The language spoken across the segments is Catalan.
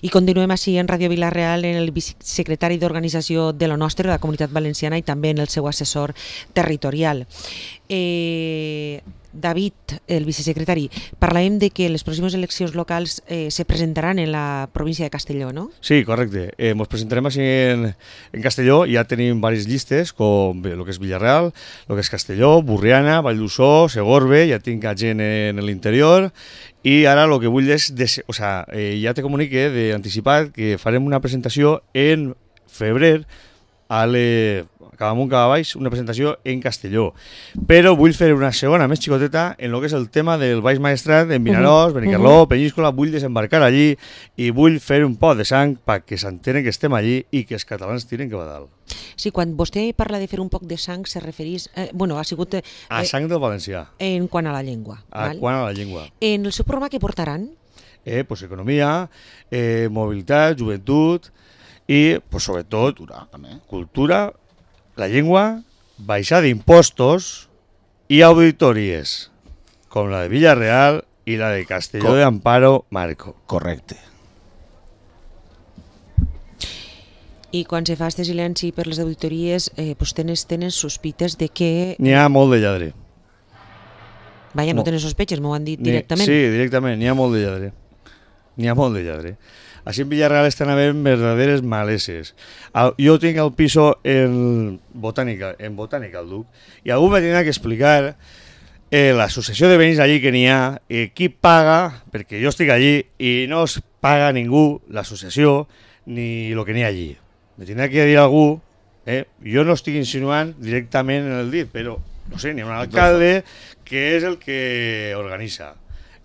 I continuem així en Ràdio Vila-real en el vicesecretari d'Organització de la nostra, de la Comunitat Valenciana, i també en el seu assessor territorial. David, el vicesecretari, parlàvem de que les pròximes eleccions locals se presentaran en la província de Castelló, no? Sí, correcte. Ens presentarem així en Castelló. Ja tenim diverses llistes, com el que és Villarreal, el que és Castelló, Burriana, Valldosó, Segorbe, ja tinc gent en l'interior. I ara el que vull és, ja te comunique d'anticipat que farem una presentació en febrer cap amunt, cap a baix, una presentació en Castelló. Però vull fer una segona més xicoteta en el que és el tema del Baix Maestrat, en Vinaròs, Benicarló, Penyíscola. Vull desembarcar allí i vull fer un pot de sang perquè s'entenen que estem allí i que els catalans tiren que va dalt. Sí, quan vostè parla de fer un poc de sang se referís... ha sigut... A sang del valencià. En quant a la llengua. Quant a la llengua. En el seu programa què portaran? Pues economia, mobilitat, joventut i, pues, sobretot, cultura, la llengua, baixar d'impostos i auditories, com la de Villarreal i la de Castelló de Amparo Marco. Correcte. I quan se fa este silenci per les auditories, pues tenen sospites de que... N'hi ha molt de lladre. Vaja, no tenen sospeches, m'ho han dit directament. Sí, directament, n'hi ha molt de lladre. N'hi ha molt de lladre. Així en Villarreal estan havent verdaderes maleses. Jo tinc el piso en Botànica al Duc, i algú me tindrà que explicar l'associació de veïns allí que n'hi ha, qui paga, perquè jo estic allí i no es paga ningú, l'associació, ni el que n'hi ha allí. Me tindrà que dir algú, jo no estic insinuant directament en el dit, però, no sé, n'hi ha un alcalde que és el que organitza.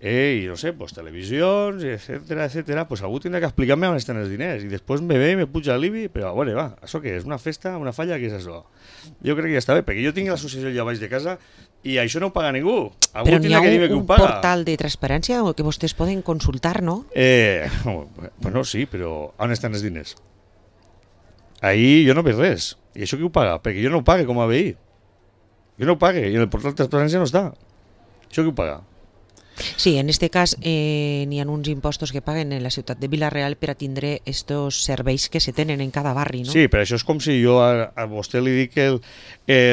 I no sé, pues televisions, etcètera, pues algú tindrà que explicar-me on estan els diners i després me ve i me puja l'IBI, però a veure, va, això què és? Una festa, una falla, què és això? Jo crec que ja està bé, perquè jo tinc l'associació allà baix de casa i això no ho paga ningú. Algú però n'hi ha un portal de transparència que vostès poden consultar, no? Bueno, sí, però on estan els diners? Ahí jo no veig res. I això qui ho paga? Perquè jo no ho pague com a veí. Jo no ho pague i en el portal de transparència no està. Això qui ho paga? Sí, en este cas n'hi ha uns impostos que paguen en la ciutat de Vila-real per a tindre estos serveis que se tenen en cada barri, no? Sí, però això és com si jo a vostè li dic que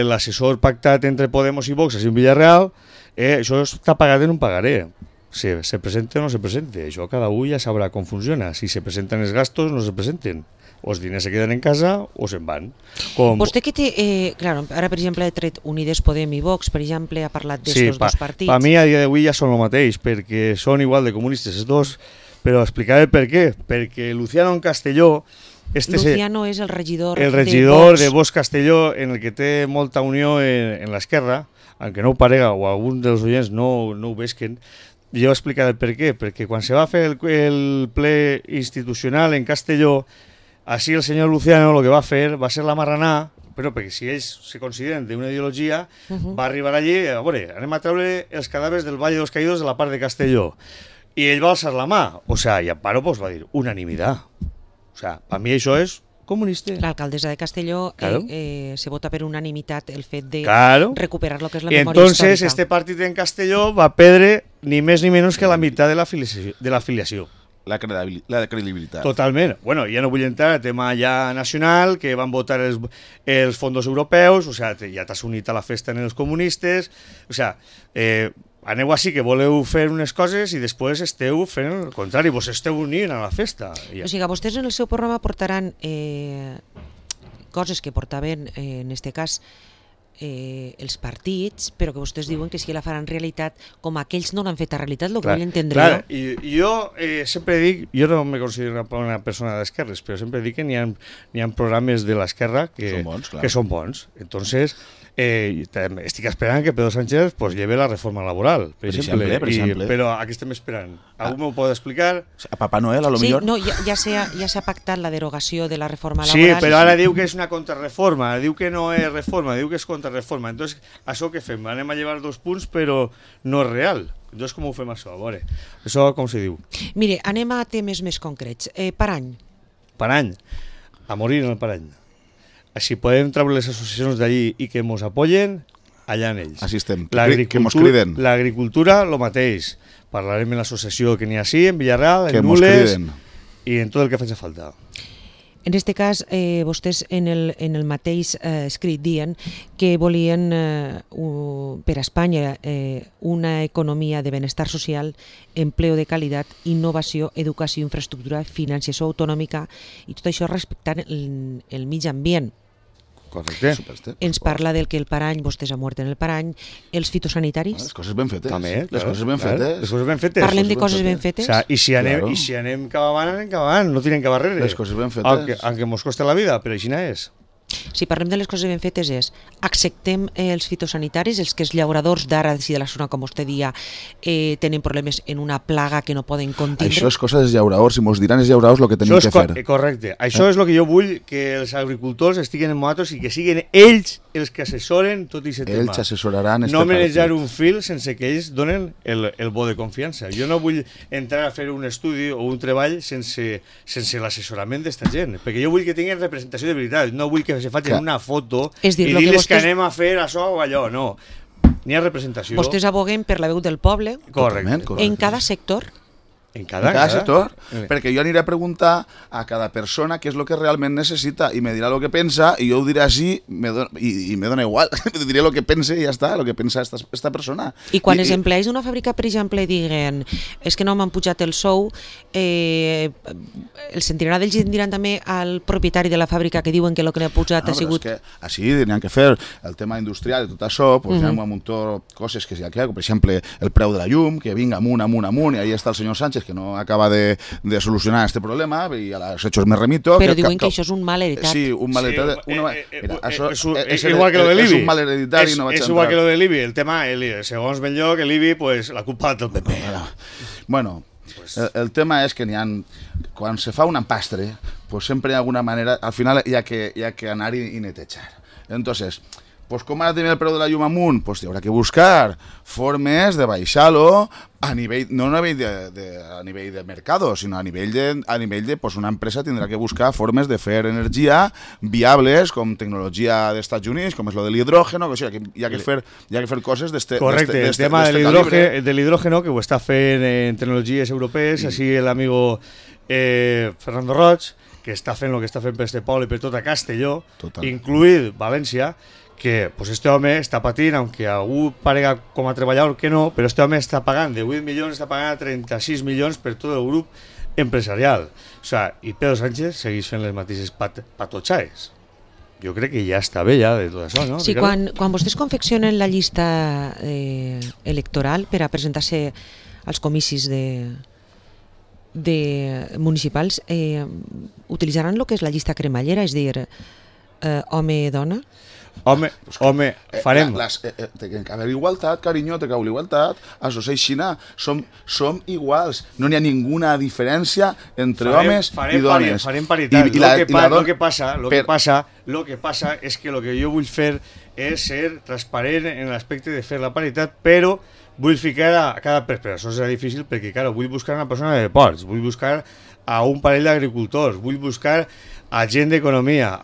l'assessor pactat entre Podemos i Vox en Vila-real, això està pagat en un pagaré. Si se presenta o no se presenta, això cada un ja sabrà com funciona. Si se presenten els gastos, no se presenten. O els diners se queden en casa o se'n van. Vostè que té, claro, ara per exemple ha tret Unides Podem i Vox, per exemple, ha parlat d'estos dos partits. Per mi a dia d'avui ja són el mateix, perquè són igual de comunistes els dos, però explicaré per què. Perquè Luciano en Castelló... Luciano és el regidor de Vox Castelló, en el que té molta unió en l'esquerra, aunque no ho parega o alguns dels oients no ho vesquen. Jo explicaré per què. Perquè quan se va fer el ple institucional en Castelló, així el senyor Luciano el que va fer va ser la marranà, però perquè si ells se consideren d'una ideologia, va arribar allí, a veure, anem a treure els cadàvers del Valle de los Caídos de la part de Castelló. I ell va alçar la mà, i Amparo va dir, unanimitat. Per mi això és comunista. L'alcaldessa de Castelló se vota per unanimitat el fet de recuperar lo que és la memòria històrica. Entonces, este partit en Castelló va perdre ni més ni menys que la meitat de l'afiliació. La credibilitat. Totalment. Bueno, ja no vull entrar al tema ja nacional, que van votar els fons europeus, ja t'has unit a la festa en els comunistes, aneu així que voleu fer unes coses i després esteu fent el contrari, vos esteu unint a la festa. O sigui, vostès en el seu programa portaran coses que portaven, en este cas, els partits, però que vostès diuen que sí que la faran realitat com aquells no l'han fet a realitat, el que vull entendre jo. I jo sempre dic, jo no me considero una persona d'esquerres, però sempre dic que n'hi ha programes de l'esquerra que són bons. Entonces, estic esperant que Pedro Sánchez lleve la reforma laboral, per exemple. Però a què estem esperant? Algú m'ho pot explicar? A Papà Noel, a lo millor? Sí, no, ja s'ha pactat la derogació de la reforma laboral. Sí, però ara diu que és una contrarreforma, diu que no és reforma, diu que és contrarreforma. Entonces, això què fem? Anem a llevar 2 punts, però no és real. Entonces, com ho fem això? A veure, això com se diu? Mire, anem a temes més concrets. Parany. Parany. A morir en el Parany. Si podem treure les associacions d'allí i que ens apoyen, allà en ells. Així estem, que ens criden. L'agricultura, el mateix. Parlarem en l'associació que n'hi ha així, en Villarreal, en que Nules. i en tot el que faci falta. En aquest cas, vostès en el mateix escrit diuen que volien per a Espanya una economia de benestar social, empleo de qualitat, innovació, educació, infraestructura, financiació autonòmica i tot això respectant el mig ambient. Correcte. Ens parla del que el parany, vostès han mort en el parany, els fitosanitaris. Les coses ben fetes. També, les coses ben fetes. Les coses ben fetes. Parlem de coses ben fetes. O sea, I si anem cap avant, no tenen cap barrere. Les coses ben fetes. Aunque mos costa la vida, però així és. Si parlem de les coses ben fetes acceptem els fitosanitaris, els que els llauradors d'ara de la zona, com vostè dia, tenen problemes en una plaga que no poden contindre. Això és cosa dels llauradors, i mos diran els llauradors el que tenim que fer. Correcte. Això és el que jo vull, que els agricultors estiguen en nosaltres i que siguin ells els que assessoren tot aquest tema. Ells assessoraran no manejar un fil sense que ells donen el bo de confiança. Jo no vull entrar a fer un estudi o un treball sense l'assessorament d'esta gent, perquè jo vull que tinguin representació de veritat, no vull que se facin una foto i dir-les que anem a fer això o allò, no. N'hi ha representació. Vostès aboguen per la veu del poble. Correcte. En cada sector. En cada sector, perquè jo aniré a preguntar a cada persona què és el que realment necessita i me dirà el que pensa i jo ho diré així i me dona igual, diré el que pense i ja està, el que pensa esta persona. I quan els empleats d'una fàbrica, per exemple, diguen és que no m'han pujat el sou, els sentiran d'ells i diran també al propietari de la fàbrica que diuen que el que n'ha pujat ha sigut... Així n'hi ha que fer el tema industrial i tot això, hi ha un munt de coses que hi ha, per exemple, el preu de la llum, que vinga amunt, i ahí està el senyor Sánchez que no acaba de solucionar este problema y a los hechos me remito. Pero diuen que això és un mal heredat. Sí, un mal heredat. És igual que lo de l'IBI. És un mal heredat i no vaig entrar. És igual que lo de l'IBI. El tema, segons ben lloc, l'IBI, pues, la culpa del PP. Bueno, el tema és que quan se fa un empastre, pues sempre hi ha alguna manera, al final hi ha que anar i netejar. Entonces, pues com ara tenim el preu de la llum amunt, pues hi haurà que buscar formes de baixar-lo a nivell, no a nivell de mercado, sinó a nivell de pues una empresa tindrà que buscar formes de fer energia viables, com tecnologia dels Estats Units, com és lo de l'hidrógeno, que hi ha que fer coses d'este calibre. Correcte, el tema de l'hidrógeno, que ho està fent en tecnologies europees, així l'amigo Fernando Roig, que està fent el que està fent per este poble i per tota Castelló, incluït València, que pues este home està patint, aunque algú parega com a treballador que no, però este home està pagant de 8 milions, està pagant 36 milions per tot el grup empresarial. O sea, i Pedro Sánchez segueix fent les mateixes patotxaes. Jo crec que ja està bé ja de tot això, no? Sí, quan vostès confeccionen la llista electoral per a presentar-se als comicis de municipals, utilitzaran el que és la llista cremallera, és a dir, home-dona? Home, farem. Té que haver igualtat, carinyo, té que haver igualtat. Això és Xina. Som iguals. No n'hi ha ninguna diferència entre homes i dones. Farem paritat. Lo que passa és que el que jo vull fer és ser transparent en l'aspecte de fer la paritat, però vull ficar a cada persona. Això serà difícil perquè, claro, vull buscar una persona de deports, vull buscar a un parell d'agricultors, vull buscar a gent d'economia,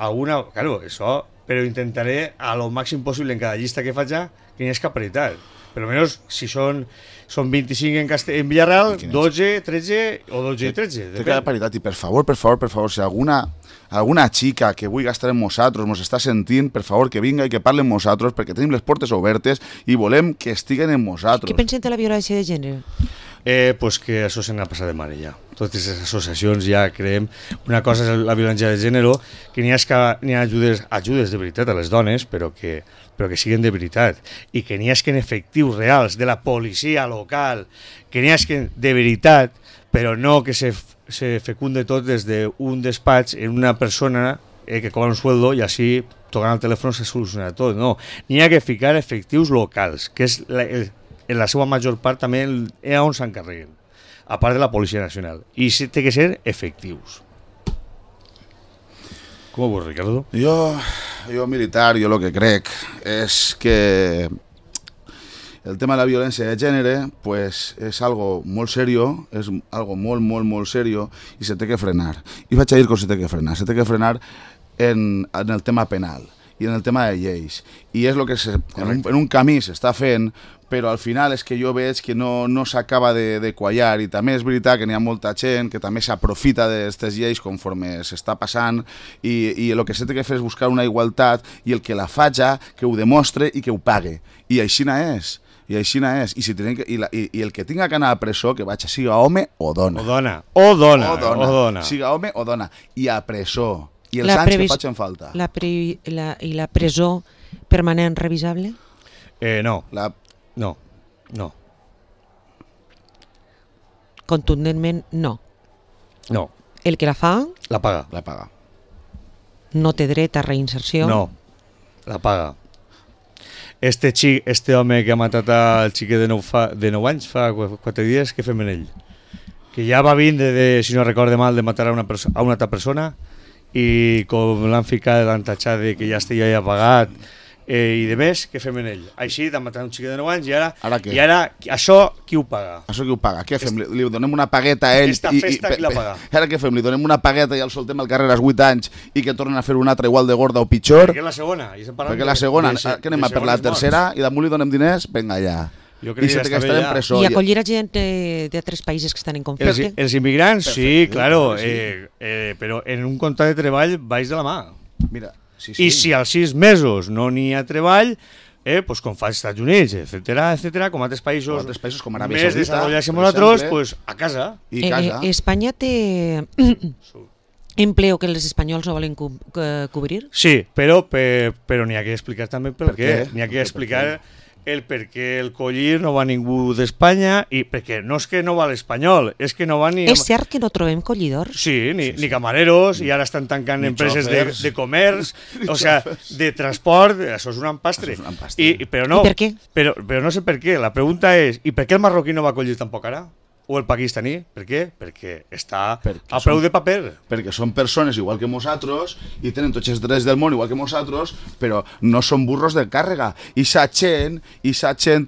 claro, això... però intentaré a lo màxim possible en cada llista que faig que n'hi hagi paritat. Per almenys, si són 25 en Villarreal, 12, 13 o 12 i 13. Té que haver paritat i per favor, si alguna xica que vulgui estar amb nosaltres mos està sentint, per favor que vinga i que parli amb nosaltres perquè tenim les portes obertes i volem que estiguen amb nosaltres. Què pensen de la violència de gènere? Pues que això se n'ha passat de mare ja. Totes les associacions ja creem. Una cosa és la violència de gènere, que n'hi ha ajudes de veritat a les dones, però que siguin de veritat, i que n'hi hagi efectius reals de la policia local, que n'hi hagi de veritat, però no que se fecunde tot des d'un despatx en una persona que cobra un sueldo i així tocant el telèfon se soluciona tot. No, n'hi ha que ficar efectius locals, que és en la seva major part també on s'encarreguen, a part de la Policia Nacional. I té que ser efectius. Com ho veus, Ricardo? Jo militar, jo el que crec és que el tema de la violència de gènere pues, és algo molt serio, és algo molt, molt, molt serio i se té que frenar. I vaig a dir que se té que frenar. Se té que frenar en el tema penal. i en el tema de lleis. I és el que en un camí s'està fent, però al final és que jo veig que no s'acaba de quallar, i també és veritat que n'hi ha molta gent que també s'aprofita d'aquestes lleis conforme s'està passant, i el que s'ha de fer és buscar una igualtat, i el que la faja, que ho demostre i que ho pague. I així és. I així és. I el que tinga que anar a presó, que vaig, siga home o dona. O dona. Siga home o dona. I a presó. I els anys que facin falta. I la presó permanent revisable? No. No. Contundentment, no. No. El que la fa... La paga. No té dret a reinserció? No. La paga. Este home que ha matat el xiquet de 9 anys, fa 4 dies, què fem en ell? Que ja va vindre, si no recorde mal, de matar a una altra persona, i com l'han ficat, l'han tatxat de que ja estigui ja pagat, i de més, què fem en ell? Així, de matar un xiquet de 9 anys, i ara això qui ho paga? Això qui ho paga? Què fem? Li donem una pagueta a ell? Aquesta festa qui la paga? Ara què fem? Li donem una pagueta i el soltem al carrer als 8 anys i que tornen a fer una altra igual de gorda o pitjor? Perquè la segona. Perquè la segona, què anem a per la tercera i damunt li donem diners? Vinga, ja. Jo crec que està bé ja. I acollir a gent d'altres països que estan en conflicte? Els immigrants, sí, claro, però en un contracte de treball baix de la mà. Mira, sí. I si als 6 mesos no n'hi ha treball, pues com fa als Estats Units, etcètera, com altres països com Aràbia més desarrollats que nosaltres, pues a casa. Espanya té empleo que els espanyols no volen cobrir? Sí, però n'hi ha que explicar també per què. N'hi ha que explicar el per què el collir no va ningú d'Espanya, i perquè no és que no va l'espanyol, és que no va ni... És cert que no trobem collidors? Sí, ni camareros, i ara estan tancant empreses de comerç, o sea, de transport, això és un empastre. I per què? Però no sé per què, la pregunta és, i per què el marroquí no va collir tampoc ara? O el pakistaní? Per què? Perquè està a preu de paper. Perquè són persones igual que nosaltres i tenen tots els drets del món igual que nosaltres, però no són burros de càrrega. I sa gent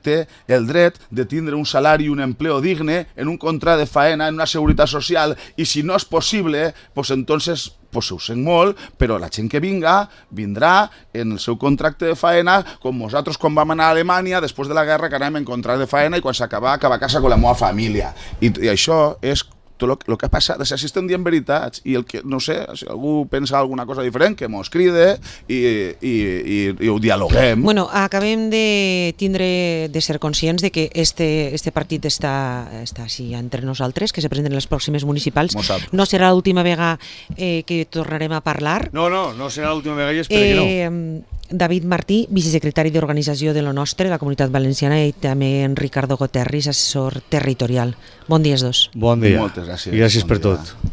té el dret de tindre un salari i un empleo digne en un contracte de faena, en una seguretat social, i si no és possible, pues entonces... pues ho sent molt, però la gent que vindrà en el seu contracte de faena, com nosaltres quan vam anar a Alemanya, després de la guerra, que anàvem en contracte de faena, i quan s'acaba a casa amb la meva família. I això és tot el que ha passat. Si estem dient veritats, i el que, no sé, si algú pensa alguna cosa diferent, que mos cride i ho dialoguem. Bueno, acabem de ser conscients de que este partit està així entre nosaltres, que se presenten les pròximes municipals. No serà l'última vegada que tornarem a parlar. No serà l'última vegada, i espero que no. David Martí, vicesecretari d'Organització de lo Nostre, la Comunitat Valenciana, i també en Ricardo Goterris, assessor territorial. Bon dia, els dos. Bon dia. Moltes gràcies. I gràcies per tot.